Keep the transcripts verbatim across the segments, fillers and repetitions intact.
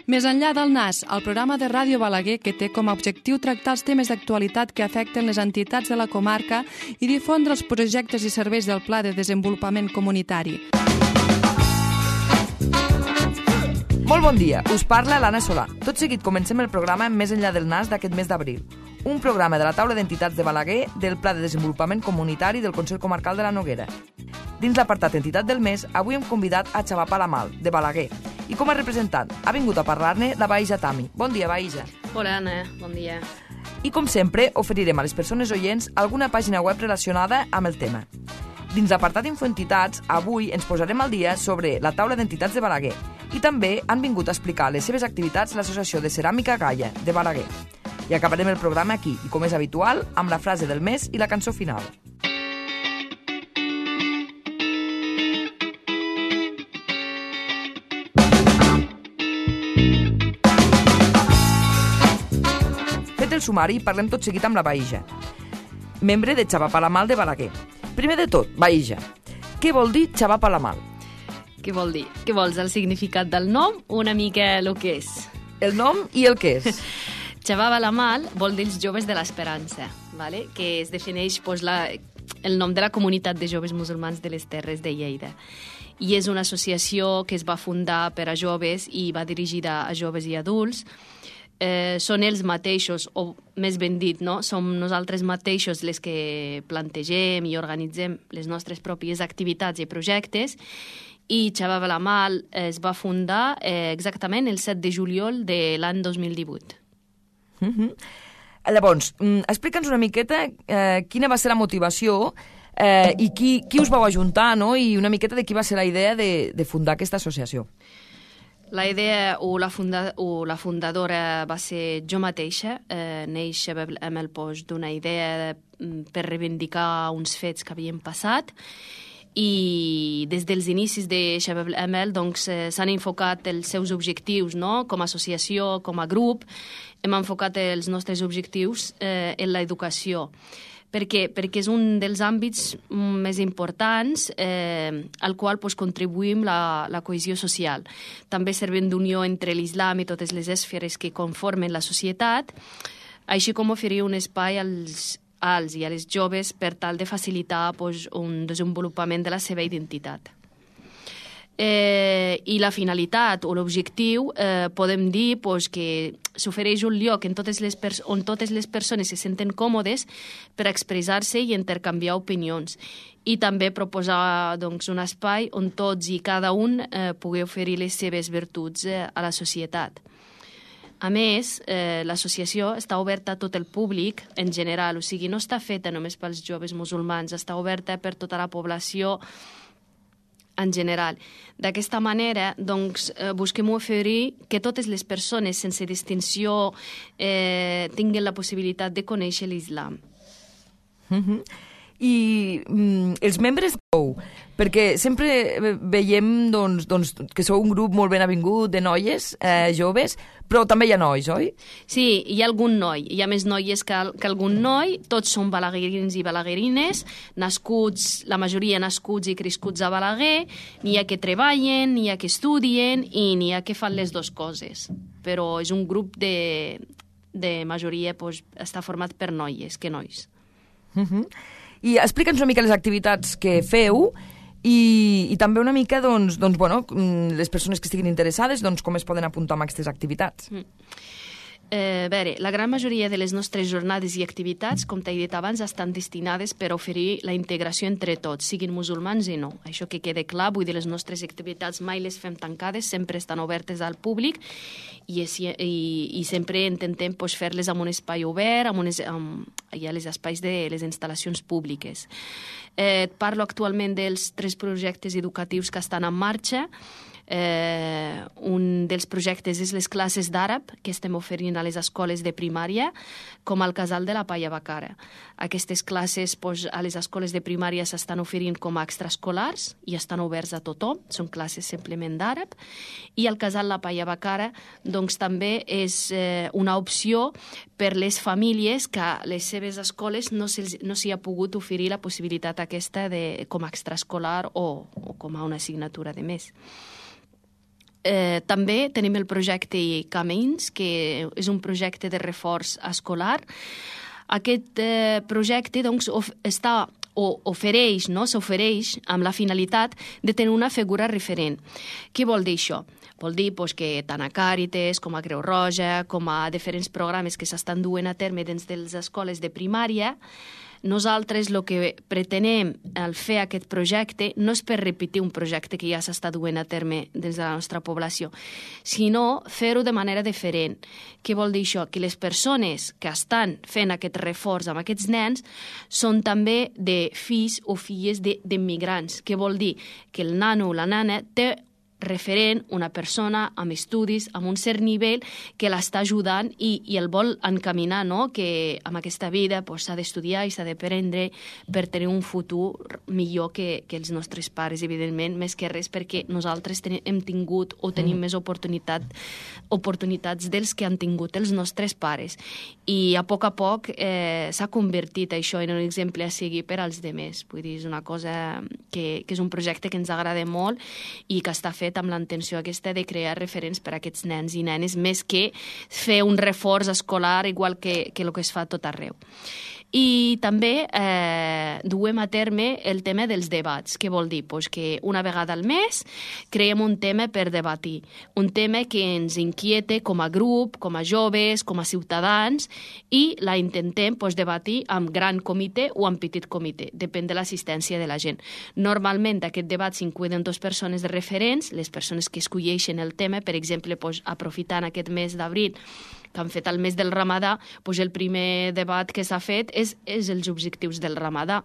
Més enllà del Nas, el programa de Ràdio Balaguer que té com a objectiu tractar els temes d'actualitat que afecten les entitats de la comarca i difondre els projectes i serveis del Pla de Desenvolupament Comunitari. Molt bon dia, us parla l'Anna Solà. Tot seguit comencem el programa Més enllà del Nas d'aquest mes d'abril, un programa de la taula d'entitats de Balaguer del Pla de Desenvolupament Comunitari del Consell Comarcal de la Noguera. Dins l'apartat Entitat del Mes, avui hem convidat a Xavar Palamal, de Balaguer, i com a representant ha vingut a parlar-ne la Baïja Tami. Bon dia, Baïja. Hola, Anna, bon dia. I com sempre, oferirem a les persones oients alguna pàgina web relacionada amb el tema. Dins l'apartat Infoentitats, avui ens posarem al dia sobre la taula d'entitats de Balaguer i també han vingut a explicar les seves activitats l'Associació de Ceràmica Gaia de Balaguer. I acabarem el programa aquí, i com és habitual, amb la frase del mes i la cançó final. Fet el sumari, parlem tot seguit amb la Baïja, membre de Xavar Palamal de Balaguer. Primer de tot, Baïja, què vol dir Xavar Palamal? Què vol dir? Què vols, el significat del nom o una mica el que és? El nom i el que és. Xavar Palamal vol dir els joves de l'Esperança, ¿vale? Que es defineix pues, la, el nom de la comunitat de joves musulmans de les Terres de Lleida. I és una associació que es va fundar per a joves i va dirigida a joves i adults. Eh, són ells mateixos, o més ben dit, no? Som nosaltres mateixos les que plantegem i organitzem les nostres pròpies activitats i projectes, i Xavar Palamal es va fundar eh, exactament el set de juliol de l'any dos mil divuit. Mm-hmm. Llavors, explica'ns una miqueta eh, quina va ser la motivació eh, i qui, qui us vau ajuntar, no? I una miqueta de qui va ser la idea de, de fundar aquesta associació. La idea o la, funda, o la fundadora va ser jo mateixa, eh, neix amb el post d'una idea per reivindicar uns fets que havien passat, i des dels inicis de Shabab Amel doncs, eh, s'han enfocat els seus objectius, no? Com a associació, com a grup, hem enfocat els nostres objectius eh, en l'educació. Per què? Perquè és un dels àmbits més importants eh, al qual pues, contribuïm la, la cohesió social. També servent d'unió entre l'islam i totes les esferes que conformen la societat, així com oferir un espai als, als i a les joves per tal de facilitar pues, un desenvolupament de la seva identitat. Eh, I la finalitat o l'objectiu eh, podem dir pues, que s'ofereix un lloc en totes les on totes les persones se senten còmodes per expressar-se i intercanviar opinions, i també proposar doncs, un espai on tots i cada un eh, pugui oferir les seves virtuts eh, a la societat. A més, eh, l'associació està oberta a tot el públic en general, o sigui, no està feta només pels joves musulmans, està oberta per tota la població en general. D'aquesta manera, doncs, eh, busquem oferir que totes les persones, sense distinció, eh, tinguin la possibilitat de conèixer l'islam. Mm-hmm. I mm, els membres sou, perquè sempre veiem doncs, doncs, que sou un grup molt ben avingut de noies, eh, joves, però també hi ha nois, oi? Sí, hi ha algun noi, hi ha més noies que, que algun noi, tots són balaguerins i balaguerines, nascuts, la majoria nascuts i crescuts a Balaguer, n'hi ha que treballen, n'hi ha que estudien i n'hi ha que fan les dues coses, però és un grup de, de majoria, doncs, està format per noies que nois. Mhm. I explica'ns una mica les activitats que feu i, i també una mica doncs, doncs, bueno, les persones que estiguin interessades doncs, com es poden apuntar a aquestes activitats. Mm. Eh, a veure, la gran majoria de les nostres jornades i activitats, com t'he dit abans, estan destinades per oferir la integració entre tots, siguin musulmans i no. Això que quede clar, vull dir, les nostres activitats mai les fem tancades, sempre estan obertes al públic i, i, i sempre intentem pues, fer-les amb un espai obert, amb unes, amb, hi ha els espais de les instal·lacions públiques. Eh, parlo actualment dels tres projectes educatius que estan en marxa. Eh, un dels projectes és les classes d'àrab que estem oferint a les escoles de primària, com al Casal de la Palla Bacara. Aquestes classes pues, a les escoles de primària s'estan oferint com a extraescolars i estan oberts a tothom, són classes simplement d'àrab, i el Casal La Palla Bacara doncs, també és eh, una opció per les famílies que a les seves escoles no s'hi no ha pogut oferir la possibilitat aquesta de, com a extraescolar o, o com a una assignatura de més. Eh, també tenim el projecte Camins, que és un projecte de reforç escolar. Aquest eh, projecte doncs, of, està o ofereix, no? s'ofereix amb la finalitat de tenir una figura referent. Què vol dir això? Vol dir pues, que tant a Càritas com a Creu Roja, com a diferents programes que s'estan duent a terme dins de les escoles de primària, nosaltres el que pretenem al fer aquest projecte no és per repetir un projecte que ja s'està duent a terme dins de la nostra població, sinó fer-ho de manera diferent. Què vol dir això? Que les persones que estan fent aquest reforç amb aquests nens són també de fills o filles d'immigrants. Què vol dir? Que el nano o la nana té referent, una persona amb estudis, amb un cert nivell que l'està ajudant i, i el vol encaminar, no? Que amb aquesta vida pues, s'ha d'estudiar i s'ha d'aprendre per tenir un futur millor que, que els nostres pares, evidentment, més que res perquè nosaltres ten hem tingut o tenim mm. més oportunitat, oportunitats dels que han tingut els nostres pares. I a poc a poc eh, s'ha convertit això en un exemple a seguir per als demés. Vull dir, és una cosa que, que és un projecte que ens agrada molt i que està fet amb la intenció aquesta de crear referents per a aquests nens i nenes, més que fer un reforç escolar igual que, que el que es fa a tot arreu. I també eh, duem a terme el tema dels debats. Què vol dir? Pues que una vegada al mes creem un tema per debatir, un tema que ens inquiete com a grup, com a joves, com a ciutadans, i la intentem pues, debatir amb gran comitè o amb petit comitè, depèn de l'assistència de la gent. Normalment aquest debat s'incluen dos persones de referents, les persones que escolleixen el tema, per exemple, pues, aprofitant aquest mes d'abril, que han fet el mes del Ramadà, doncs el primer debat que s'ha fet és, és els objectius del Ramadà.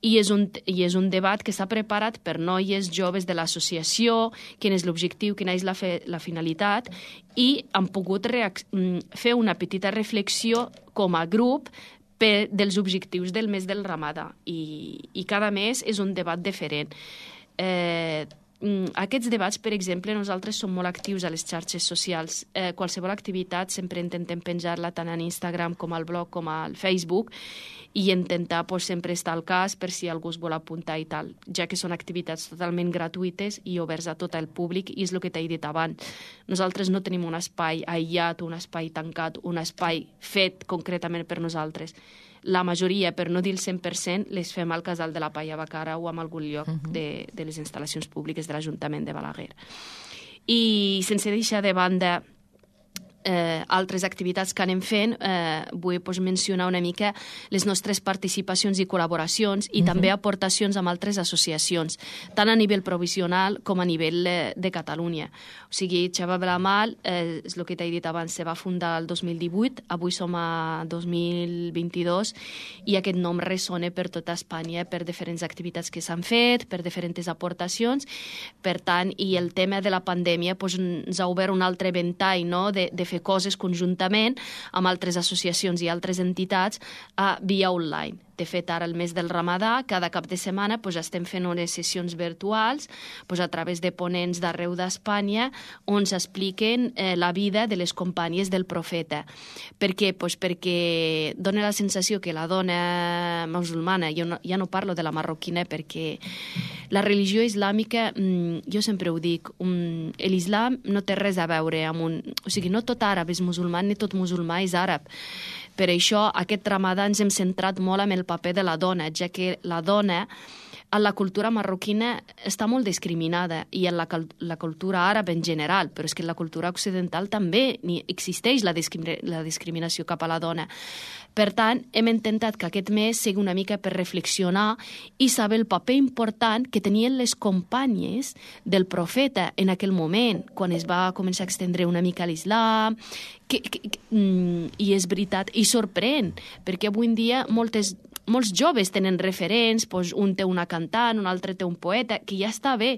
I és un, i és un debat que s'ha preparat per noies joves de l'associació, quin és l'objectiu, quina és la, fe, la finalitat, i han pogut fer una petita reflexió com a grup per, dels objectius del mes del Ramadà. I, i cada mes és un debat diferent. Eh, Aquests debats, per exemple, nosaltres som molt actius a les xarxes socials. Eh, qualsevol activitat sempre intentem penjar-la tant en Instagram com al blog com al Facebook i intentar pues, sempre estar al cas per si algú es vol apuntar i tal, ja que són activitats totalment gratuïtes i oberts a tot el públic, i és el que t'he dit abans. Nosaltres no tenim un espai aïllat, un espai tancat, un espai fet concretament per nosaltres. La majoria, per no dir el cent per cent, les fem al Casal de la Palla Bacara o en algun lloc uh-huh. de, de les instal·lacions públiques de l'Ajuntament de Balaguer. I sense deixar de banda eh, altres activitats que anem fent, eh, vull pues, mencionar una mica les nostres participacions i col·laboracions i uh-huh. també aportacions amb altres associacions, tant a nivell provisional com a nivell eh, de Catalunya. O sigui, Xava Blamal, eh, és el que t'he dit abans, se va fundar el dos mil divuit, avui som a dos mil vint-i-dos i aquest nom ressona per tota Espanya per diferents activitats que s'han fet, per diferents aportacions. Per tant, i el tema de la pandèmia pues, ens ha obert un altre ventall, no?, de, de fer coses conjuntament amb altres associacions i altres entitats a via online. De fet, ara, el mes del Ramadà, cada cap de setmana pues, estem fent unes sessions virtuals pues, a través de ponents d'arreu d'Espanya on s'expliquen eh, la vida de les companyes del profeta. Per què? Pues, perquè dona la sensació que la dona musulmana, jo no, ja no parlo de la marroquina perquè la religió islàmica, mmm, jo sempre ho dic, um, l'islam no té res a veure amb un... O sigui, no tot àrab és musulmà ni tot musulmà és àrab. Per això, aquest Ramadà ens hem centrat molt en el paper de la dona, ja que la dona en la cultura marroquina està molt discriminada i en la, la cultura àrab en general, però és que en la cultura occidental també ni existeix la, discrim la discriminació cap a la dona. Per tant, hem intentat que aquest mes sigui una mica per reflexionar i saber el paper important que tenien les companyes del profeta en aquell moment, quan es va començar a extendre una mica l'islam, que, que, que, i és veritat, i sorprèn, perquè avui en dia moltes molts joves tenen referents, doncs un té una cantant, un altre té un poeta, que ja està bé,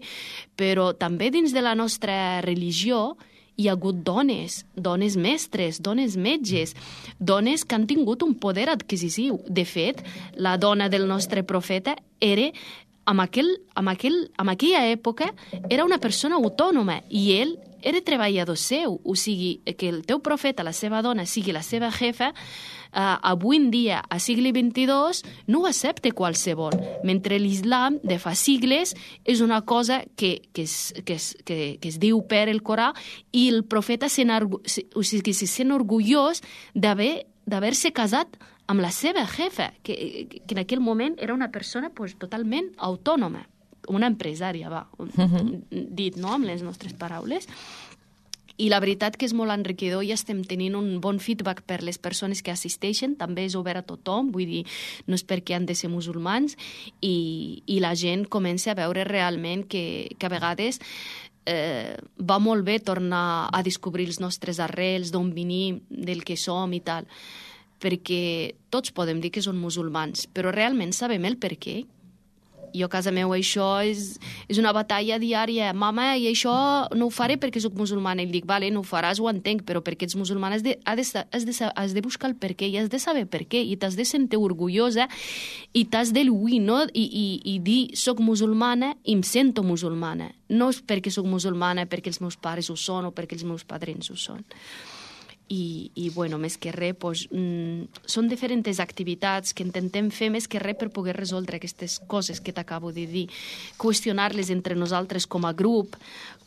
però també dins de la nostra religió hi ha hagut dones, dones mestres, dones metges, dones que han tingut un poder adquisitiu. De fet, la dona del nostre profeta era, en, aquell, en, aquell, en aquella època, era una persona autònoma i ell era treballador seu, o sigui, que el teu profeta, la seva dona, sigui la seva jefa, uh, avui en dia, a segle vint-i-dos, no ho accepta qualsevol, mentre l'islam de fa sigles és una cosa que, que, es, que, es, que, que es diu per el Corà, i el profeta se o sigui, se sent orgullós d'haver d'haver-se casat amb la seva jefa, que, que en aquell moment era una persona pues, totalment autònoma, una empresària, va, uh-huh. dit no, amb les nostres paraules. I la veritat que és molt enriquidor i estem tenint un bon feedback per les persones que assisteixen, també és obert a tothom, vull dir, no és perquè han de ser musulmans, i, i la gent comença a veure realment que, que a vegades eh, va molt bé tornar a descobrir els nostres arrels, d'on venim, del que som i tal, perquè tots podem dir que són musulmans, però realment sabem el per què. Jo a casa meu això és, és una batalla diària. Mama, i això no ho faré perquè soc musulmana. I dic, vale, no ho faràs, ho entenc, però perquè ets musulmana has de, has de, has de, has de buscar el per què i has de saber per què i t'has de sentir orgullosa i t'has de lluir, no? I, i, i dir, soc musulmana i em sento musulmana. No és perquè soc musulmana, perquè els meus pares ho són o perquè els meus padrins ho són. I, i bueno, més que res, pues, mm, són diferents activitats que intentem fer més que res per poder resoldre aquestes coses que t'acabo de dir, qüestionar-les entre nosaltres com a grup,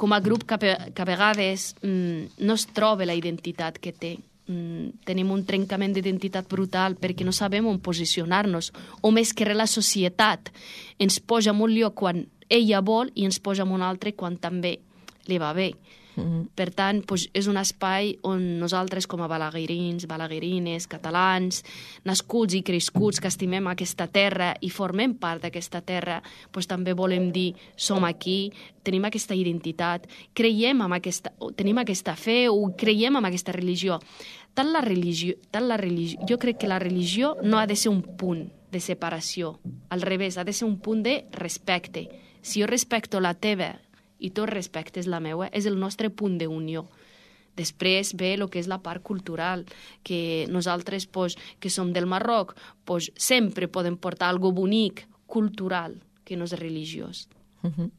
com a grup que, que a vegades mm, no es troba la identitat que té. Mm, tenim un trencament d'identitat brutal perquè no sabem on posicionar-nos, o més que res la societat ens posa en un lloc quan ella vol i ens posa en un altre quan també li va bé. Mm-hmm. Per tant, doncs, és un espai on nosaltres com a balaguerins, balaguerines, catalans, nascuts i crescuts que estimem aquesta terra i formem part d'aquesta terra, doncs, també volem dir som aquí, tenim aquesta identitat, creiem en aquesta, tenim aquesta fe o creiem en aquesta religió. Tant la religió, tant la religió, jo crec que la religió no ha de ser un punt de separació, al revés, ha de ser un punt de respecte. Si jo respecto la teva i tu respectes la meva, és el nostre punt d'unió. Després ve el que és la part cultural, que nosaltres, pues, que som del Marroc, pues, sempre podem portar algo bonic, cultural, que no és religiós. Uh-huh.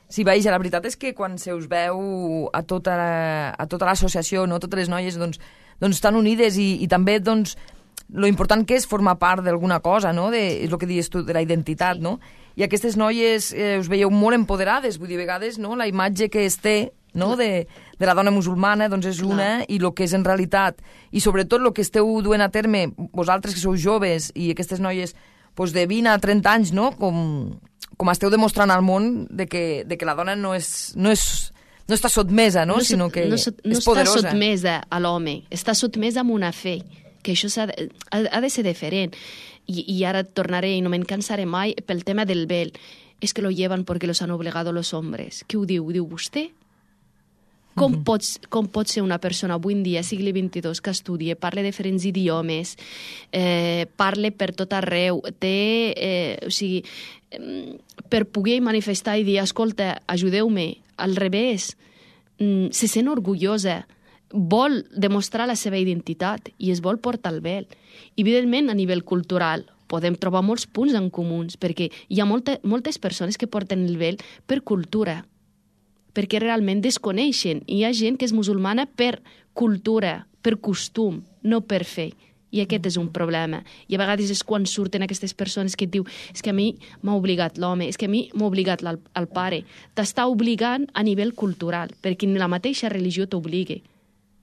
Sí, vaja, la veritat és que quan se us veu a tota, la, a tota l'associació, no? Totes les noies, doncs, doncs estan unides i, i també, doncs, lo important que és formar part d'alguna cosa, no? De, és el que dius tu, de la identitat, sí. No? I aquestes noies eh, us veieu molt empoderades, vull dir, a vegades, no? La imatge que es té, no? de, de la dona musulmana, doncs és una, i el que és en realitat, i sobretot el que esteu duent a terme, vosaltres que sou joves, i aquestes noies doncs de vint a trenta anys, no? Com, com esteu demostrant al món de que, de que la dona no és... No és no està sotmesa, no? no sinó que no, no és poderosa. No està sotmesa a l'home, està sotmesa amb una fe, que això ha de, ha de ser diferent. I, i ara tornaré, i no me'n cansaré mai, pel tema del vel. És que lo llevan perquè los han obligado los hombres. Què ho diu? Ho diu vostè? Com, mm-hmm. pots, com pot ser una persona avui en dia, segle vint-i-dos, que estudia, parla diferents idiomes, eh, parla per tot arreu, té, eh, o sigui, eh, per poder manifestar i dir, escolta, ajudeu-me, al revés, mm, se sent orgullosa, vol demostrar la seva identitat i es vol portar el vel. I, evidentment, a nivell cultural, podem trobar molts punts en comuns, perquè hi ha molta, moltes persones que porten el vel per cultura, perquè realment desconeixen. I hi ha gent que és musulmana per cultura, per costum, no per fe. I aquest és un problema. I a vegades és quan surten aquestes persones que et diu és que a mi m'ha obligat l'home, és que a mi m'ha obligat el, el pare. T'està obligant a nivell cultural, perquè ni la mateixa religió t'obliga.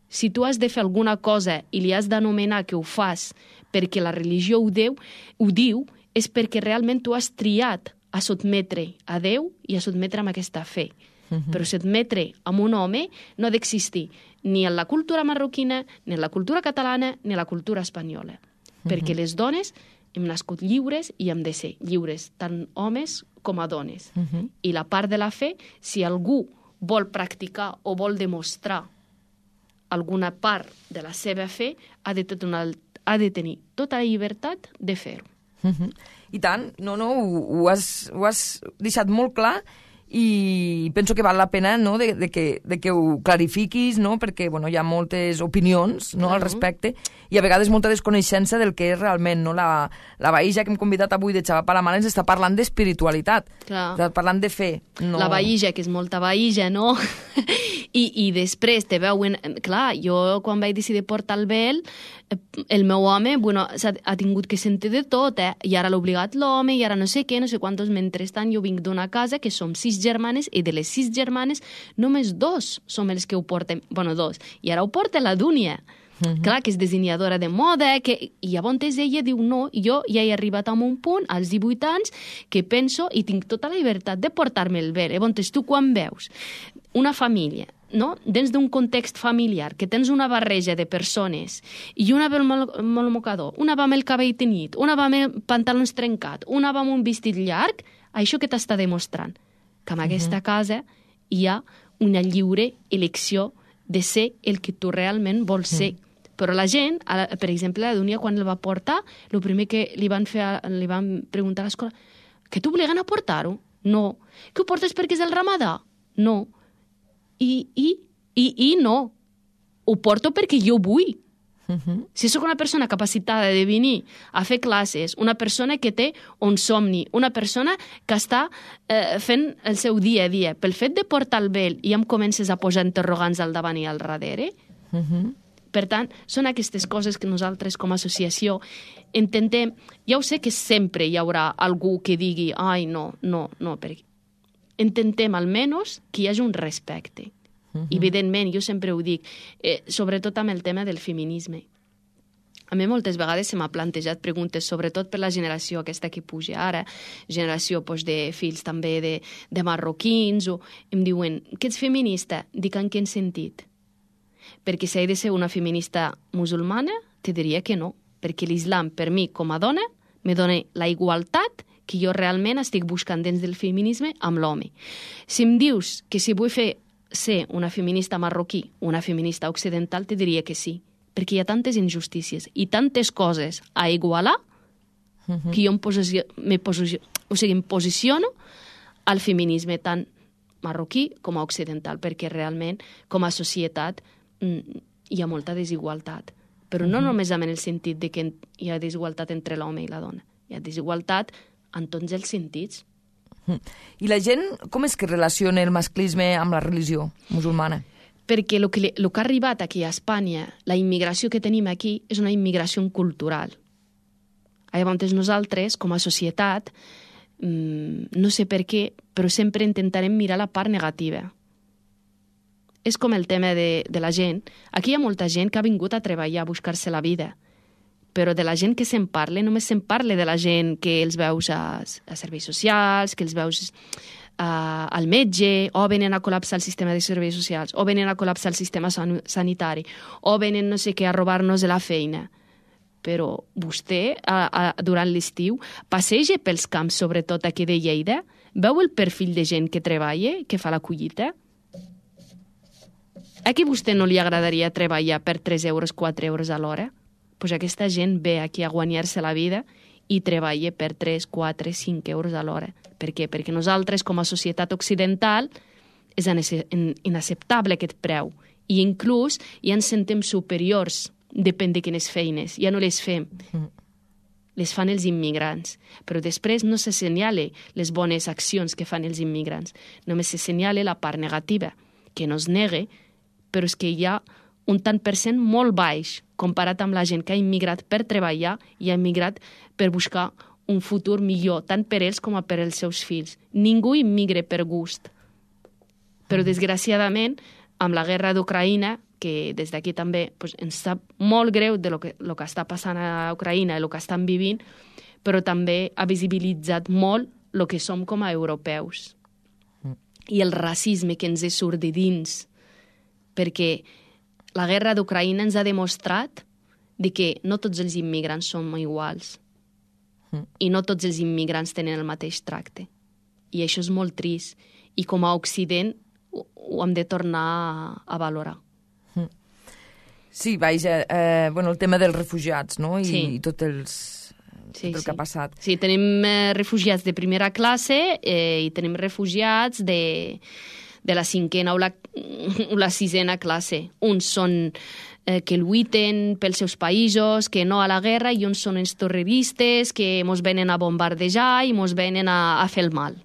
Si tu has de fer alguna cosa i li has d'anomenar que ho fas perquè la religió ho, deu, ho diu, és perquè realment tu has triat a sotmetre a Déu i a sotmetre amb aquesta fe. Uh-huh. Però sotmetre amb un home no ha d'existir ni en la cultura marroquina, ni en la cultura catalana, ni en la cultura espanyola. Uh-huh. Perquè les dones hem nascut lliures i hem de ser lliures, tant homes com a dones. Uh-huh. I la part de la fe, si algú vol practicar o vol demostrar alguna part de la seva fe, ha de, una, ha de tenir tota la llibertat de fer-ho. Uh-huh. I tant, no, no, ho, ho, has, ho has deixat molt clar i penso que val la pena, no?, de, de, que, de que ho clarifiquis, no?, perquè bueno, hi ha moltes opinions, no?, al respecte, i a vegades molta desconeixença del que és realment, no? La, la Baïja que hem convidat avui de Xava Palamar ens està parlant d'espiritualitat, està parlant de fe. No... La Baïja, que és molta Baïja, no? I, I després te veuen... Clar, jo quan vaig decidir portar el vel, el meu home, bueno, ha tingut que sentir de tot, eh? I ara l'ha obligat l'home, i ara no sé què, no sé quantos. Mentrestant, jo vinc d'una casa que som sis germanes, i de les sis germanes, només dos som els que ho portem. Bueno, dos. I ara ho porta la Dúnia. Uh-huh. Clar, que és dissenyadora de moda, que... i llavors ella diu no, jo ja he arribat a un punt, als divuit anys, que penso i tinc tota la llibertat de portar-me el vel. Llavors tu quan veus una família, no? Dins d'un context familiar, que tens una barreja de persones, i una va amb el mocador, una va amb el cabell tenyit, una va amb pantalons trencat, una va amb un vestit llarg, això que t'està demostrant? Que en aquesta uh-huh. casa hi ha una lliure elecció de ser el que tu realment vols ser. Uh-huh. Però la gent, per exemple, la Dúnia, quan el va portar, el primer que li van, fer, li van preguntar a l'escola, que t'obliguen a portar-ho? No. Que ho portes perquè és el ramadà? No. I, i, i, i no. Ho porto perquè jo vull. Uh-huh. Si sóc una persona capacitada de venir a fer classes, una persona que té un somni, una persona que està eh, fent el seu dia a dia, pel fet de portar el vel i em comences a posar interrogants al davant i al darrere, uh-huh. Per tant, són aquestes coses que nosaltres com a associació intentem... Ja ho sé que sempre hi haurà algú que digui ai, no, no, no, perquè intentem almenys que hi hagi un respecte. Uh-huh. Evidentment, jo sempre ho dic, eh, sobretot amb el tema del feminisme. A mi moltes vegades se m'ha plantejat preguntes, sobretot per la generació aquesta que puja ara, generació pues, de fills també de, de marroquins, o em diuen, que ets feminista? Dic, en quin sentit? Perquè si he de ser una feminista musulmana, te diria que no, perquè l'islam, per mi, com a dona, me dona la igualtat que jo realment estic buscant dins del feminisme amb l'home. Si em dius que si vull fer ser una feminista marroquí, una feminista occidental, te diria que sí, perquè hi ha tantes injustícies i tantes coses a igualar uh-huh. que jo em, posicio, me posicio, o sigui, em posiciono al feminisme tant marroquí com a occidental, perquè realment, com a societat, hi ha molta desigualtat. Però no uh-huh. només en el sentit de que hi ha desigualtat entre l'home i la dona. Hi ha desigualtat en tots els sentits. Uh-huh. I la gent, com és que relaciona el masclisme amb la religió musulmana? Perquè el que, el que ha arribat aquí a Espanya, la immigració que tenim aquí, és una immigració cultural. Llavors nosaltres, com a societat, mmm, no sé per què, però sempre intentarem mirar la part negativa. És com el tema de, de la gent. Aquí hi ha molta gent que ha vingut a treballar, a buscar-se la vida. Però de la gent que se'n parla, només se'n parla de la gent que els veus a, a serveis socials, que els veus a, al metge, o venen a col·lapsar el sistema de serveis socials, o venen a col·lapsar el sistema san, sanitari, o venen no sé què a robar-nos de la feina. Però vostè, a, a, durant l'estiu, passeja pels camps, sobretot aquí de Lleida, veu el perfil de gent que treballa, que fa la collita? A qui vostè no li agradaria treballar per tres euros, quatre euros a l'hora? Doncs pues aquesta gent ve aquí a guanyar-se la vida i treballa per tres, quatre, cinc euros a l'hora. Per què? Perquè nosaltres, com a societat occidental, és inacceptable aquest preu. I inclús ja ens sentem superiors, depèn de quines feines. Ja no les fem. Les fan els immigrants. Però després no se senyala les bones accions que fan els immigrants. Només se senyala la part negativa, que no es nega, però és que hi ha un tant per cent molt baix comparat amb la gent que ha immigrat per treballar i ha immigrat per buscar un futur millor, tant per ells com per als seus fills. Ningú immigra per gust. Però, desgraciadament, amb la guerra d'Ucraïna, que des d'aquí també pues, ens sap molt greu de lo que, lo que està passant a Ucraïna i el que estan vivint, però també ha visibilitzat molt el que som com a europeus. I el racisme que ens surt de dins, perquè la guerra d'Ucraïna ens ha demostrat de que no tots els immigrants som iguals mm. i no tots els immigrants tenen el mateix tracte. I això és molt trist. I com a Occident ho, ho hem de tornar a, a valorar. Mm. Sí, vaja, eh, bueno, el tema dels refugiats, no? I, sí. i tots els, sí, tot el sí. que ha passat. Sí, tenim eh, refugiats de primera classe eh, i tenim refugiats de, de la cinquena o la, o la sisena classe. Uns són eh, que lluiten pels seus països, que no a la guerra, i uns són els terroristes que mos venen a bombardejar i mos venen a, a fer el mal.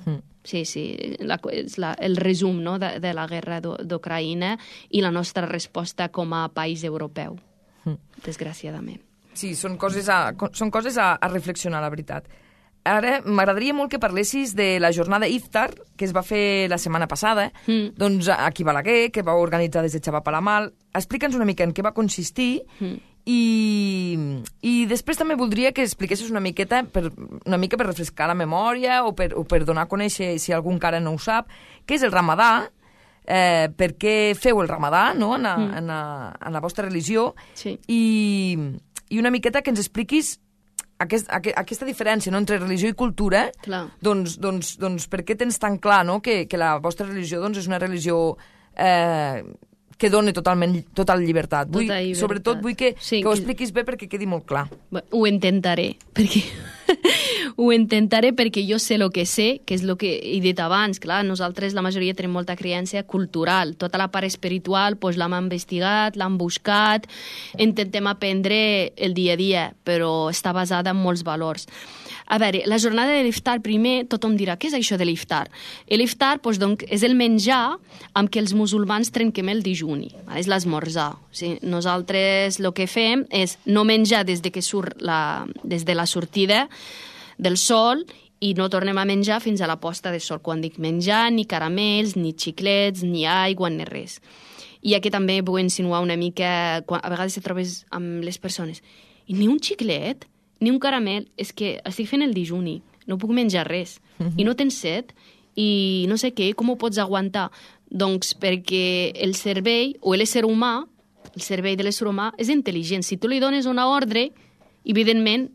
Mm. Sí, sí, la, és la, el resum, no?, de, de la guerra d'Ucraïna i la nostra resposta com a país europeu, mm. desgraciadament. Sí, són coses a, són coses a, a reflexionar, la veritat. Ara, m'agradaria molt que parlessis de la jornada Iftar, que es va fer la setmana passada, mm. doncs aquí a Balaguer, que va organitzar des de Xava Palamal. Explica'ns una mica en què va consistir mm. i, i després també voldria que expliquessis una miqueta, per, una mica per refrescar la memòria o per, o per donar a conèixer, si algú encara no ho sap, què és el Ramadà, eh, per què feu el Ramadà, no?, en, a, mm. en, a, en la vostra religió, sí. i... i una miqueta que ens expliquis aquest, aquest, aquesta diferència, no?, entre religió i cultura, doncs, doncs, doncs per què tens tan clar, no?, que, que la vostra religió doncs, és una religió eh, que dona totalment total llibertat. Vull, tota llibertat. Sobretot vull que, sí, que ho expliquis bé perquè quedi molt clar. Ho intentaré, perquè... Ho intentaré perquè jo sé el que sé, que és el que he dit abans. Clar, nosaltres, la majoria, tenim molta creència cultural. Tota la part espiritual doncs, l'hem investigat, l'hem buscat, intentem aprendre el dia a dia, però està basada en molts valors. A veure, la jornada de l'iftar, primer, tothom dirà, què és això de l'iftar? L'iftar doncs, doncs, és el menjar amb què els musulmans trenquem el dijuni, és l'esmorzar. O sigui, nosaltres el que fem és no menjar des de, que surt la, des de la sortida del sol i no tornem a menjar fins a la posta de sol. Quan dic menjar, ni caramels, ni xiclets, ni aigua, ni res. I aquí també vull insinuar una mica, quan a vegades te trobes amb les persones, i ni un xiclet, ni un caramel, és que estic fent el dijuni, no puc menjar res, uh-huh. i no tens set, i no sé què, com ho pots aguantar? Doncs perquè el cervell, o l'ésser humà, el cervell de l'ésser humà, és intel·ligent. Si tu li dones una ordre, evidentment,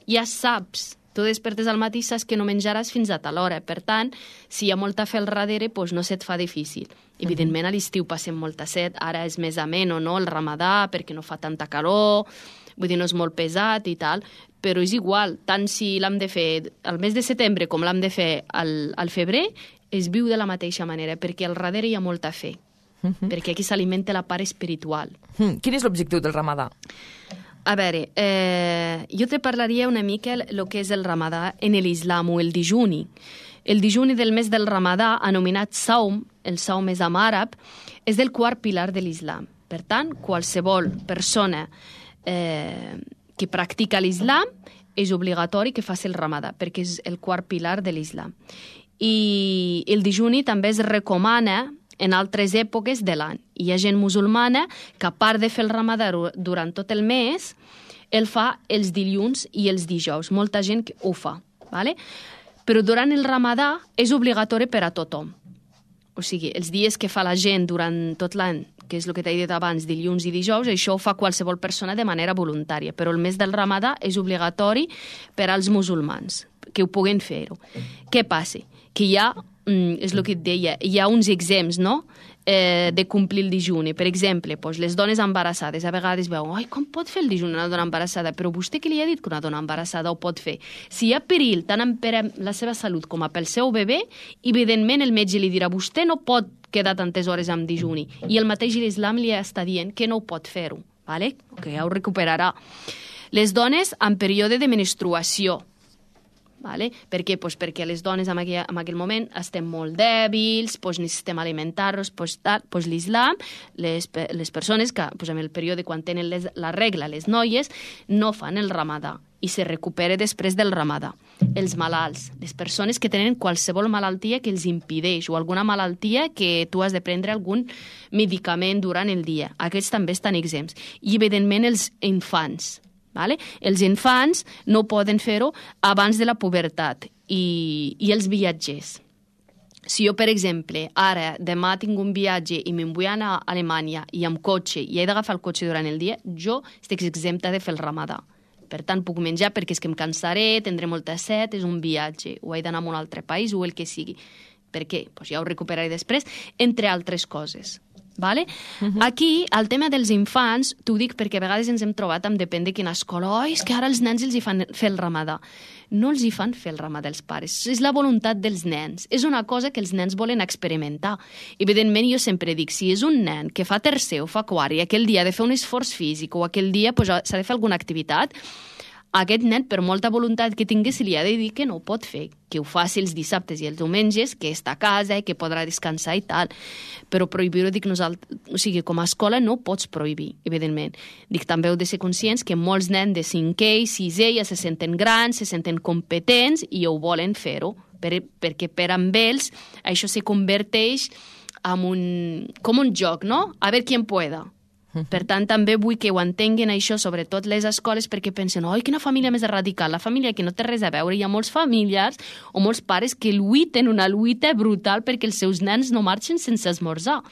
ja saps. Tu despertes al matí, saps que no menjaràs fins a tal hora. Per tant, si hi ha molta fe al darrere, doncs no se't fa difícil. Evidentment, a l'estiu passem molta set, ara és més ameno, no?, el ramadà, perquè no fa tanta calor, vull dir, no és molt pesat i tal, però és igual, tant si l'hem de fer al mes de setembre com l'hem de fer al, al febrer, es viu de la mateixa manera, perquè al darrere hi ha molta fe, uh-huh. perquè aquí s'alimenta la part espiritual. Uh-huh. Quin és l'objectiu del ramadà? A veure, eh, jo te parlaria una mica el que és el ramadà en l'islam o el dijuni. El dijuni del mes del ramadà, anomenat saum, el saum és en àrab, és el quart pilar de l'islam. Per tant, qualsevol persona eh, que practica l'islam és obligatori que faci el ramadà, perquè és el quart pilar de l'islam. I el dijuni també es recomana en altres èpoques de l'any. Hi ha gent musulmana que, a part de fer el ramadà durant tot el mes, el fa els dilluns i els dijous. Molta gent ho fa, ¿vale? Però durant el ramadà és obligatori per a tothom. O sigui, els dies que fa la gent durant tot l'any, que és el que t'he dit abans, dilluns i dijous, això ho fa qualsevol persona de manera voluntària. Però el mes del ramadà és obligatori per als musulmans, que ho puguen fer-ho. Què passa? Que hi ha és el que et deia, hi ha uns exempts, no?, eh, de complir el dijuni. Per exemple, doncs, les dones embarassades a vegades veuen, ai, com pot fer el dijuni una dona embarassada? Però vostè què li ha dit que una dona embarassada ho pot fer? Si hi ha perill tant per la seva salut com pel seu bebè, evidentment el metge li dirà, vostè no pot quedar tantes hores amb dijuni. I el mateix l'islam li està dient que no ho pot fer-ho, ¿vale? Que ja ho recuperarà. Les dones en període de menstruació, vale? Per què? Pues perquè les dones en aquell, en aquell moment estem molt dèbils, pues necessitem alimentar-nos, pues, pues l'islam, les, les persones que pues, en el període quan tenen les, la regla, les noies, no fan el ramadà i se recupera després del ramadà. Els malalts, les persones que tenen qualsevol malaltia que els impedeix o alguna malaltia que tu has de prendre algun medicament durant el dia. Aquests també estan exempts. I, evidentment, els infants. Vale? Els infants no poden fer-ho abans de la pubertat i, i els viatgers. Si jo, per exemple, ara, demà tinc un viatge i me'n vull anar a Alemanya i amb cotxe i he d'agafar el cotxe durant el dia, jo estic exempta de fer el ramadà. Per tant, puc menjar perquè és que em cansaré, tindré molta set, és un viatge, o he d'anar a un altre país o el que sigui. Per què? Pues ja ho recuperaré després, entre altres coses. Vale? Uh-huh. Aquí, el tema dels infants, t'ho dic perquè a vegades ens hem trobat amb depèn de quina escola. Oh, és que ara els nens els hi fan fer el ramadà. No els hi fan fer el ramadà els pares. És la voluntat dels nens. És una cosa que els nens volen experimentar. Evidentment, jo sempre dic, si és un nen que fa tercer o fa quart i aquell dia ha de fer un esforç físic o aquell dia pues, s'ha de fer alguna activitat, aquest nen, per molta voluntat que tingui, se li ha de dir que no ho pot fer, que ho faci els dissabtes i els diumenges, que està a casa i que podrà descansar i tal. Però prohibir-ho, dic nosaltres, o sigui, com a escola no ho pots prohibir, evidentment. Dic, també heu de ser conscients que molts nens de cinquè i sisè ja se senten grans, se senten competents i ho volen fer-ho, per, perquè per amb ells això se converteix en un, com un joc, no? A veure qui en pueda. Per tant, també vull que ho entenguin això, sobretot les escoles, perquè pensen, oi, quina família més radical, la família que no té res a veure. Hi ha molts familiars o molts pares que lluiten una lluita brutal perquè els seus nens no marxen sense esmorzar.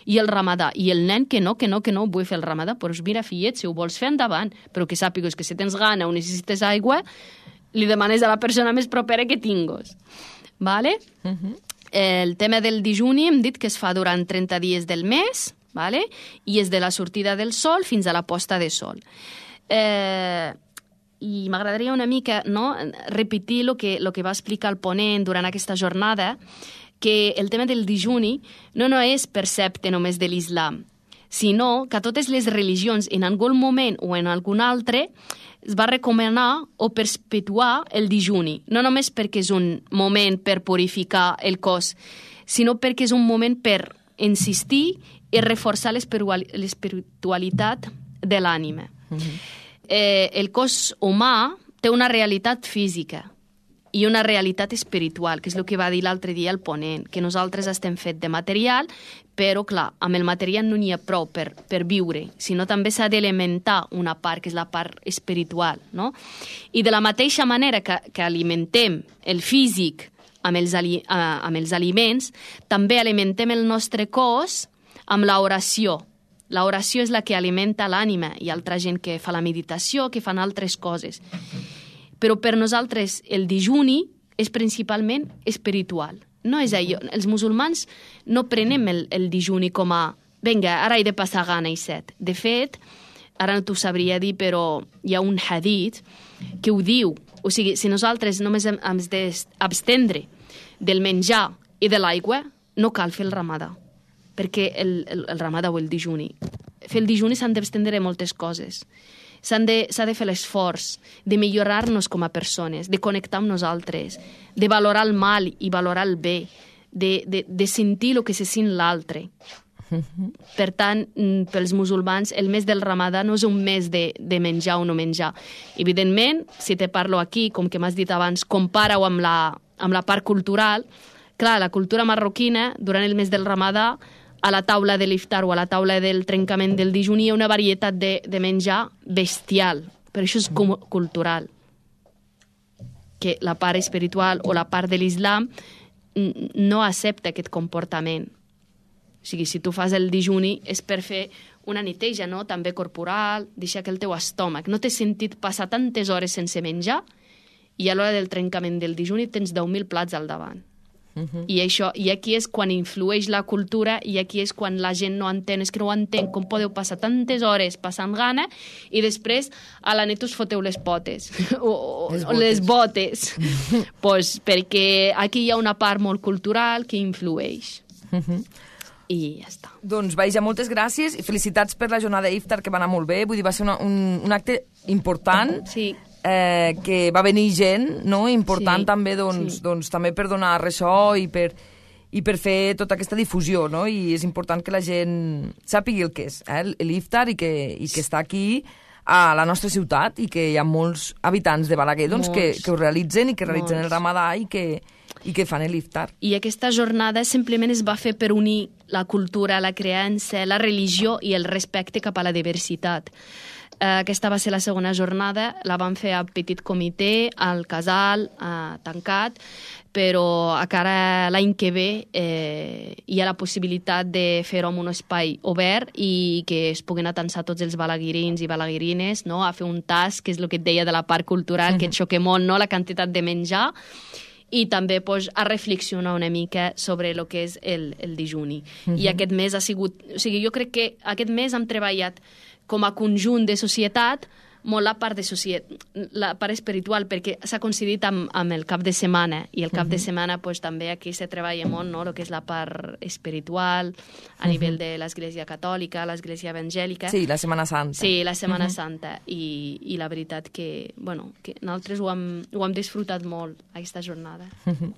I el ramadà, i el nen que no, que no, que no vull fer el ramadà, doncs mira, fillet, si ho vols fer endavant, però que sàpigues que si tens gana o necessites aigua, li demanes a la persona més propera que tingues. Vale? Uh-huh. El tema del dijuni hem dit que es fa durant trenta dies del mes, vale? I és de la sortida del sol fins a la posta de sol. Eh, I m'agradaria una mica no, repetir el que, lo que va explicar el ponent durant aquesta jornada, que el tema del dijuni no, no és percepte només de l'islam, sinó que a totes les religions, en algun moment o en algun altre, es va recomanar o perpetuar el dijuni, no només perquè és un moment per purificar el cos, sinó perquè és un moment per insistir i reforçar l'espiritualitat de l'ànima. Uh-huh. Eh, el cos humà té una realitat física i una realitat espiritual, que és el que va dir l'altre dia el ponent, que nosaltres estem fet de material, però, clar, amb el material no n'hi ha prou per, per viure, sinó també s'ha d'elementar una part, que és la part espiritual, no? I de la mateixa manera que, que alimentem el físic amb els, ali, amb els aliments, també alimentem el nostre cos amb l'oració. L'oració és la que alimenta l'ànima. Hi ha altra gent que fa la meditació, que fan altres coses. Però per nosaltres el dijuni és principalment espiritual. No és allò. Els musulmans no prenem el, el dijuni com a vinga, ara he de passar gana i set. De fet, ara no t'ho sabria dir, però hi ha un hadith que ho diu. O sigui, si nosaltres només hem, hem d'abstendre del menjar i de l'aigua, no cal fer el ramadà. Perquè el, el, el ramadà o el dijuni. Fer el dijuni s'han d'estendre moltes coses. S'ha de, s'ha de fer l'esforç de millorar-nos com a persones, de connectar amb nosaltres, de valorar el mal i valorar el bé, de, de, de sentir el que se sent l'altre. Per tant, pels musulmans, el mes del ramadà no és un mes de, de menjar o no menjar. Evidentment, si te parlo aquí, com que m'has dit abans, compara-ho amb la, amb la part cultural. Clar, la cultura marroquina, durant el mes del ramadà, a la taula de l'iftar o a la taula del trencament del dijuni hi ha una varietat de, de menjar bestial, però això és com cultural. Que la part espiritual o la part de l'islam no accepta aquest comportament. O sigui, si tu fas el dijuni és per fer una neteja, no? També corporal, deixar que el teu estómac. No t'he sentit passar tantes hores sense menjar i a l'hora del trencament del dijuni tens deu mil plats al davant. Uh-huh. I, això, I aquí és quan influeix la cultura i aquí és quan la gent no entén, és que no ho entén, com podeu passar tantes hores passant gana i després a la nit us foteu les potes o, o les botes, les botes. Pues perquè aquí hi ha una part molt cultural que influeix. Uh-huh. I ja està. Doncs, Baija, moltes gràcies i felicitats per la jornada d'Iftar, que va anar molt bé. Vull dir, va ser una, un, un acte important. Sí. Eh, que va venir gent, no? Important sí, també, doncs, sí. doncs, també per donar ressò i per, i per fer tota aquesta difusió, no? I és important que la gent sàpigui el que és, eh? l'Iftar, i que, i que està aquí a la nostra ciutat i que hi ha molts habitants de Balaguer doncs, que, que ho realitzen i que realitzen molts. El ramadà i que, i que fan l'Iftar. I aquesta jornada simplement es va fer per unir la cultura, la creença, la religió i el respecte cap a la diversitat. Uh, aquesta va ser la segona jornada, la vam fer a petit comitè, al casal, uh, tancat, però encara l'any que ve eh, hi ha la possibilitat de fer-ho en un espai obert i que es puguin atansar tots els balaguirins i balaguirines, no? A fer un tas, que és el que et deia de la part cultural, mm-hmm. que et xoque molt, no? La quantitat de menjar, i també pues, a reflexionar una mica sobre el que és el, el dijuni. Uh -huh. I aquest mes ha sigut... O sigui, jo crec que aquest mes hem treballat com a conjunt de societat molt la part de societat, la part espiritual, perquè s'ha coincidit amb, amb el cap de setmana, i el cap uh -huh. de setmana pues, també aquí se treballa molt, no?, el que és la part espiritual, a uh -huh. nivell de l'Església Catòlica, l'Església Evangèlica. Sí, la Setmana Santa. Sí, la Setmana uh -huh. Santa, i, i la veritat que, bueno, que nosaltres ho hem, ho hem disfrutat molt, aquesta jornada. Uh -huh.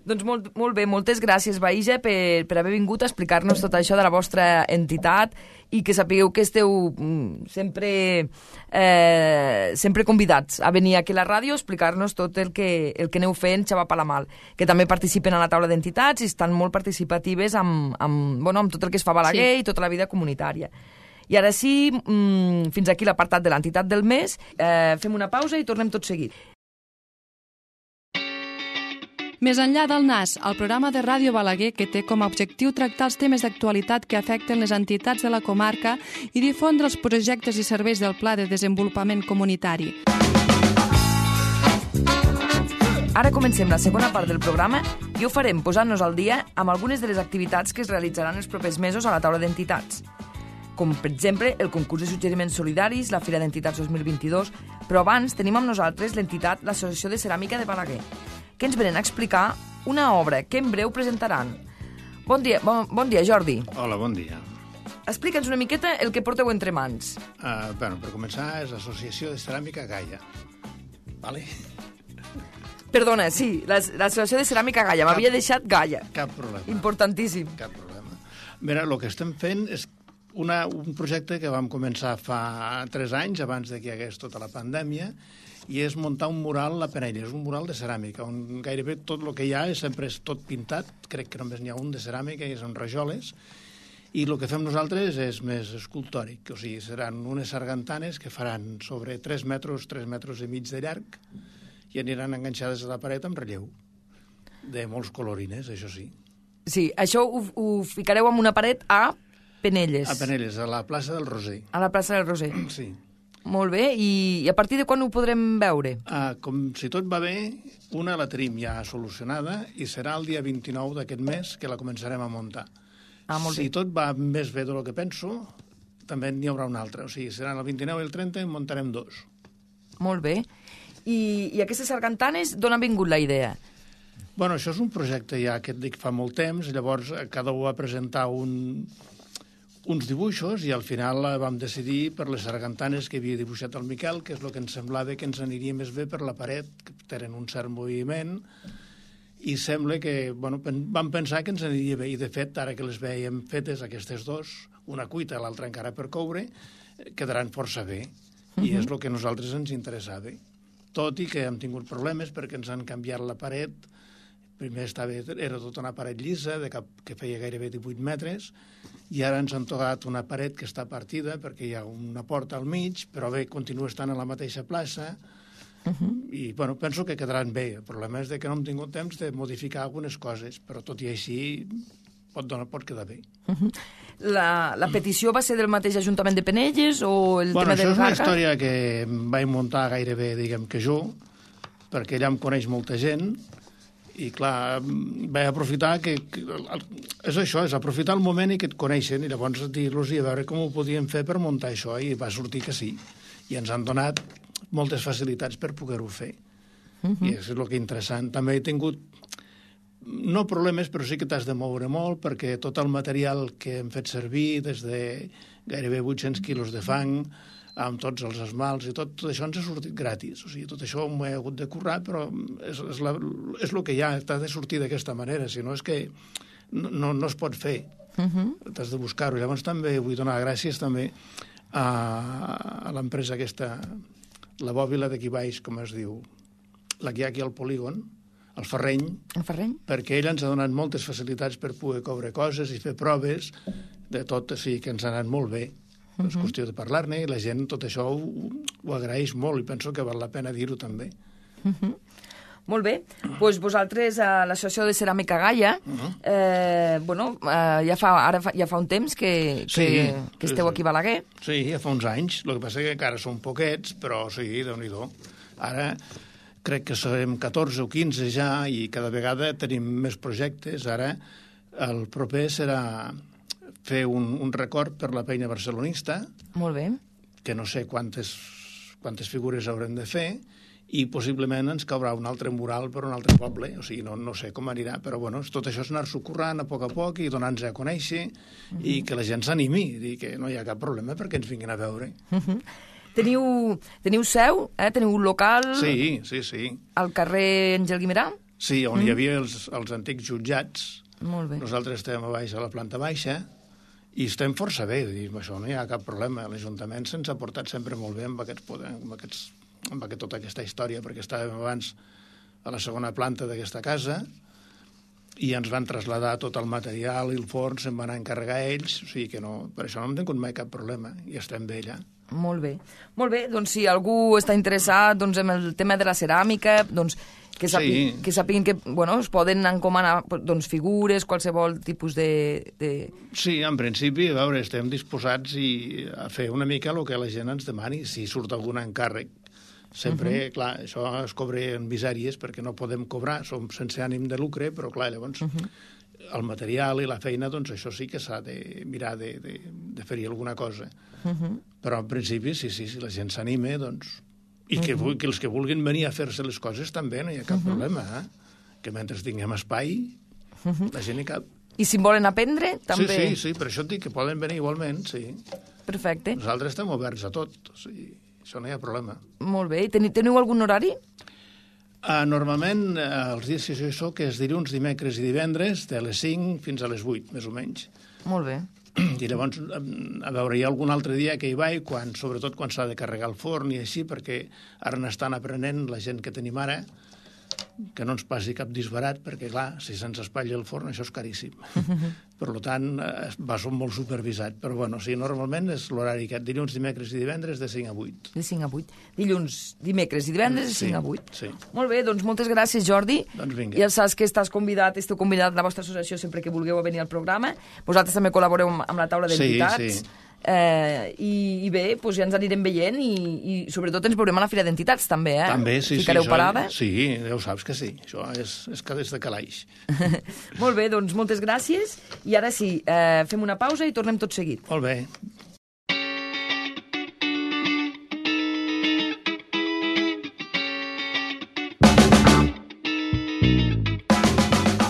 Doncs molt, molt bé, moltes gràcies, Baïja, per, per haver vingut a explicar-nos tot això de la vostra entitat i que sapigueu que esteu mm, sempre, eh, sempre convidats a venir aquí a la ràdio a explicar-nos tot el que, el que aneu fent, Xava Palamal, que també participen a la taula d'entitats i estan molt participatives amb, amb, bueno, amb tot el que es fa a Balaguer sí. i tota la vida comunitària. I ara sí, mm, fins aquí l'apartat de l'entitat del mes. Eh, fem una pausa i tornem tot seguit. Més enllà del N A S, el programa de Ràdio Balaguer que té com a objectiu tractar els temes d'actualitat que afecten les entitats de la comarca i difondre els projectes i serveis del Pla de Desenvolupament Comunitari. Ara comencem la segona part del programa i ho farem posant-nos al dia amb algunes de les activitats que es realitzaran els propers mesos a la taula d'entitats, com per exemple el concurs de suggeriments solidaris, la Fira d'Entitats dos mil vint-i-dos, però abans tenim amb nosaltres l'entitat l'Associació de Ceràmica de Balaguer, que ens venen a explicar una obra que en breu presentaran. Bon dia, bon, bon dia, Jordi. Hola, bon dia. Explica'ns una miqueta el que porteu entre mans. Uh, bueno, per començar, és l'Associació de Ceràmica Gaia. Vale? Perdona, sí, l'Associació de Ceràmica Gaia. M'havia deixat Gaia. Cap problema. Importantíssim. Cap problema. Mira, el que estem fent és una, un projecte que vam començar fa tres anys, abans de que hi hagués tota la pandèmia, i és muntar un mural a la Penella. És un mural de ceràmica, on gairebé tot el que hi ha és sempre és tot pintat, crec que només n'hi ha un de ceràmica, i és en rajoles, i el que fem nosaltres és més escultòric, o sigui, seran unes sargantanes que faran sobre tres metres, tres metres i mig de llarg, i aniran enganxades a la paret amb relleu, de molts colorines, això sí. Sí, això ho, ho ficareu en una paret a Penelles. A Penelles, a la plaça del Roser. A la plaça del Roser. Sí. Molt bé, i, i a partir de quan ho podrem veure? Uh, com si tot va bé, una la tenim ja solucionada i serà el dia vint-i-nou d'aquest mes que la començarem a muntar. Ah, molt si bé. tot va més bé del que penso, també n'hi haurà una altra. O sigui, seran el vint-i-nou i el trenta i en muntarem dos. Molt bé. I, i aquestes sargantanes, d'on ha vingut la idea? Bueno, això és un projecte ja que et dic fa molt temps, llavors cada un va presentar un... uns dibuixos i al final vam decidir per les sargantanes que havia dibuixat el Miquel, que és el que ens semblava que ens aniria més bé per la paret, que tenen un cert moviment, i sembla que, bueno, vam pensar que ens aniria bé, i de fet, ara que les veiem fetes, aquestes dos, una cuita i l'altra encara per coure, quedaran força bé, uh-huh. i és el que a nosaltres ens interessava. Tot i que hem tingut problemes perquè ens han canviat la paret, primer estava, era tota una paret llisa, de cap, que feia gairebé divuit metres, i ara ens han tocat una paret que està partida perquè hi ha una porta al mig, però bé, continua estant a la mateixa plaça, uh-huh. i bueno, penso que quedaran bé. El problema és que no hem tingut temps de modificar algunes coses, però tot i així pot, donar, pot quedar bé. Uh-huh. La, la petició va ser del mateix Ajuntament de Penelles o el bueno, tema del Garga? Això és una Garga? història que vaig muntar gairebé, diguem que jo, perquè allà em coneix molta gent, i clar, vaig aprofitar que, que és això, és aprofitar el moment i que et coneixen i llavors dir-los i a veure com ho podien fer per muntar això, i va sortir que sí, i ens han donat moltes facilitats per poder-ho fer. Uh-huh. I és el que és interessant. També he tingut no problemes, però sí que t'has de moure molt perquè tot el material que hem fet servir, des de gairebé vuit-cents quilos de fang, amb tots els esmalts i tot, tot això ens ha sortit gratis. O sigui, tot això m'ho he hagut de currar, però és, és, la, és el que hi ha, t'has de sortir d'aquesta manera, si no és que no, no, no es pot fer. Uh-huh. T'has de buscar-ho. Llavors també vull donar gràcies també a, a l'empresa aquesta, la bòbila d'aquí baix, com es diu, la que hi ha aquí al polígon, el Ferreny, el Ferreny, perquè ell ens ha donat moltes facilitats per poder coure coses i fer proves de tot, o sigui que ens ha anat molt bé. Uh-huh. És qüestió de parlar-ne i la gent tot això ho, ho agraeix molt i penso que val la pena dir-ho també. Uh-huh. Molt bé. Doncs pues vosaltres a l'Associació de Ceràmica Gaia, uh-huh. eh, bueno, eh, ja, fa, ara fa, ja fa un temps que, que, sí, que esteu sí, aquí a Balaguer. Sí, ja fa uns anys. El que passa és que encara són poquets, però sí, Déu-n'hi-do. Ara, crec que serem catorze o quinze ja i cada vegada tenim més projectes. Ara el proper serà fer un, un record per la Peina Barcelonista. Molt bé. Que no sé quantes, quantes figures haurem de fer, i possiblement ens caurà un altre mural per un altre poble, o sigui, no, no sé com anirà, però bueno, tot això és anar-s'ho currant a poc a poc i donar-nos a conèixer uh-huh. i que la gent s'animi, dir que no hi ha cap problema perquè ens vinguin a veure. Uh-huh. Teniu, teniu seu, eh? Teniu un local... Sí, sí, sí. Al carrer Àngel Guimerà? Sí, on uh-huh. hi havia els, els antics jutjats. Molt bé. Nosaltres estem a baix, a la planta baixa, i estem força bé, dir, això no hi ha cap problema. L'Ajuntament se'ns ha portat sempre molt bé amb aquests, amb aquests amb aquest, tota aquesta història, perquè estàvem abans a la segona planta d'aquesta casa i ens van traslladar tot el material i el forn, se'n van encarregar ells, o sigui que no, per això no hem tingut mai cap problema i estem bé allà. Molt bé. Molt bé, doncs si algú està interessat doncs, en el tema de la ceràmica, doncs que, sàpi, sí. que sàpiguen que bueno, es poden encomanar doncs, figures, qualsevol tipus de, de... Sí, en principi, a veure, estem disposats i a fer una mica el que la gent ens demani, si surt algun encàrrec. Sempre, uh-huh. clar, això es cobra en misèries perquè no podem cobrar, som sense ànim de lucre, però clar, llavors uh-huh. el material i la feina, doncs això sí que s'ha de mirar de, de, de fer-hi alguna cosa. Uh-huh. Però en principi, sí, sí, si la gent s'anima, doncs... I uh-huh. que, que els que vulguin venir a fer-se les coses també, no hi ha cap uh-huh. problema, eh? Que mentre tinguem espai, uh-huh. la gent hi cap. I si en volen aprendre, també... Sí, sí, sí, per això et dic que poden venir igualment, sí. Perfecte. Nosaltres estem oberts a tot, o sigui... Això no hi ha problema. Molt bé. I teniu, teniu algun horari? Uh, normalment, uh, els dies que jo hi soc és dilluns, dimecres i divendres, de les cinc fins a les vuit, més o menys. Molt bé. I llavors, a veure, hi ha algun altre dia que hi vaig, quan, sobretot quan s'ha de carregar el forn i així, perquè ara n'estan aprenent la gent que tenim ara, que no ens passi cap disbarat, perquè, clar, si se'ns espatlla el forn, això és caríssim. Per tant, va ser molt supervisat. Però, bueno, sí, normalment és l'horari aquest, dilluns, dimecres i divendres, de cinc a vuit. De cinc a vuit. Dilluns, dimecres i divendres, de sí, cinc a vuit. Sí. Molt bé, doncs moltes gràcies, Jordi. Doncs vinga. Ja saps que estàs convidat, esteu convidat a la vostra associació sempre que vulgueu venir al programa. Vosaltres també col·laboreu amb la taula d'entitats. Sí, sí. Eh, i, i bé, doncs ja ens anirem veient i, i sobretot ens veurem a la Fira d'Entitats també, eh? També, sí, Ficareu sí. parada? Sí, ja ho saps que sí. Això és, és que des de calaix. Molt bé, doncs moltes gràcies i ara sí, eh, fem una pausa i tornem tot seguit. Molt bé.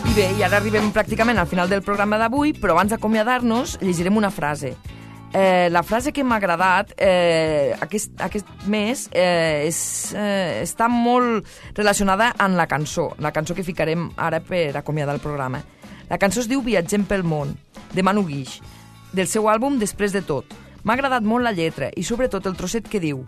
I bé, i ara arribem pràcticament al final del programa d'avui, però abans d'acomiadar-nos llegirem una frase. Eh, la frase que m'ha agradat eh, aquest, aquest mes eh, és, eh, està molt relacionada amb la cançó, la cançó que ficarem ara per acomiadar el programa. La cançó es diu Viatgem pel món, de Manu Guix, del seu àlbum Després de tot. M'ha agradat molt la lletra i sobretot el trosset que diu: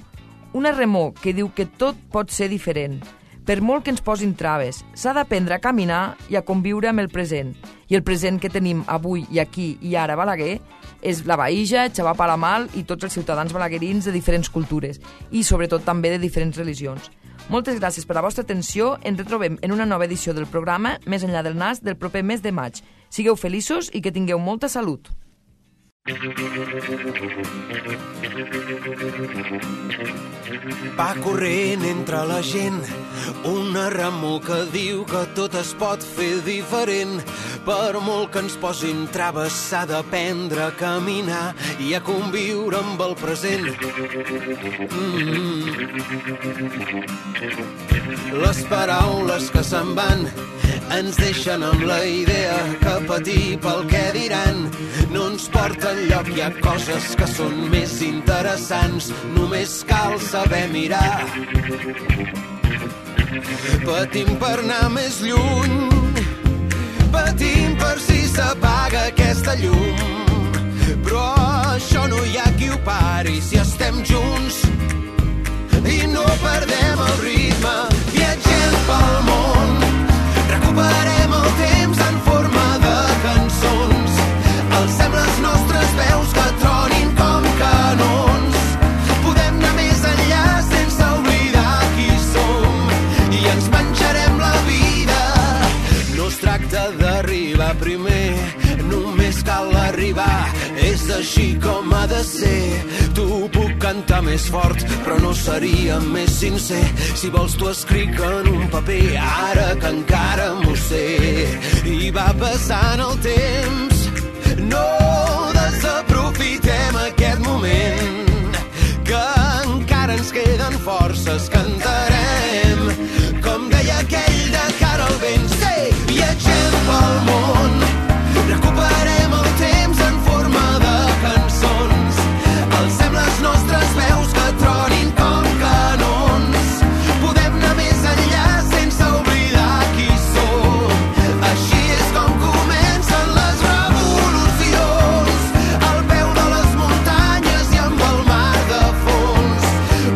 una remor que diu que tot pot ser diferent. Per molt que ens posin traves, s'ha d'aprendre a caminar i a conviure amb el present. I el present que tenim avui i aquí i ara a Balaguer és la Baïja, Xavà Palamal i tots els ciutadans balaguerins de diferents cultures i sobretot també de diferents religions. Moltes gràcies per la vostra atenció. Ens retrobem en una nova edició del programa Més enllà del nas del proper mes de maig. Sigueu feliços i que tingueu molta salut. Va corrent entre la gent una remor que diu que tot es pot fer diferent. Per molt que ens posin traves s'ha d'aprendre a caminar i a conviure amb el present. Mm-hmm. Les paraules que se'n van ens deixen amb la idea que patir pel que diran no ens porta enlloc. Hi ha coses que són més interessants, només cal saber mirar. Patim per anar més lluny, patim per si s'apaga aquesta llum, però això no hi ha qui ho pari si estem junts i no perdem el ritme. Viatgem pel món, recuperem el temps en forma de cançons, alcem les nostres veus que tronin com canons. Podem anar més enllà sense oblidar qui som i ens menjarem la vida. No es tracta d'arribar primer, només cal arribar. És així com com ha de ser. Tu puc cantar més fort, però no seria més sincer. Si vols t'ho escric en un paper, ara que encara m'ho sé. I va passant el temps, no desaprofitem aquest moment, que encara ens queden forces, cantarem, com deia aquell de cara al vent. Sí, viatgem pel món, recuperem el temps en forma de cançons, alcem les nostres veus que tronin com canons, podem anar més enllà sense oblidar qui som. Així és com comencen les revolucions, al peu de les muntanyes i amb el mar de fons.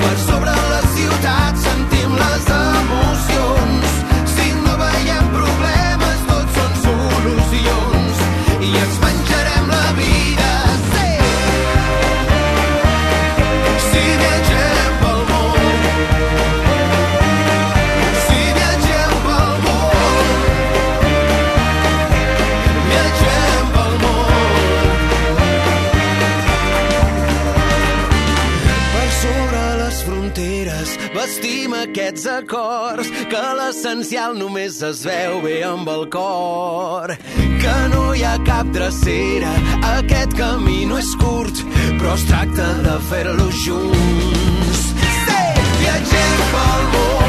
Per sobre les ciutats sentim les emocions, si no veiem problemes tots són solucions, i ens menjarem la vida. Sí, si viatgem pel món, si viatgem pel món, viatgem pel món. Per sobre les fronteres vestim aquests acords, que l'essencial només es veu bé amb el cor, que no hi ha cap drecera, aquest camí no és curt, però es tracta de fer-lo junts. Sí, viatgem pel món,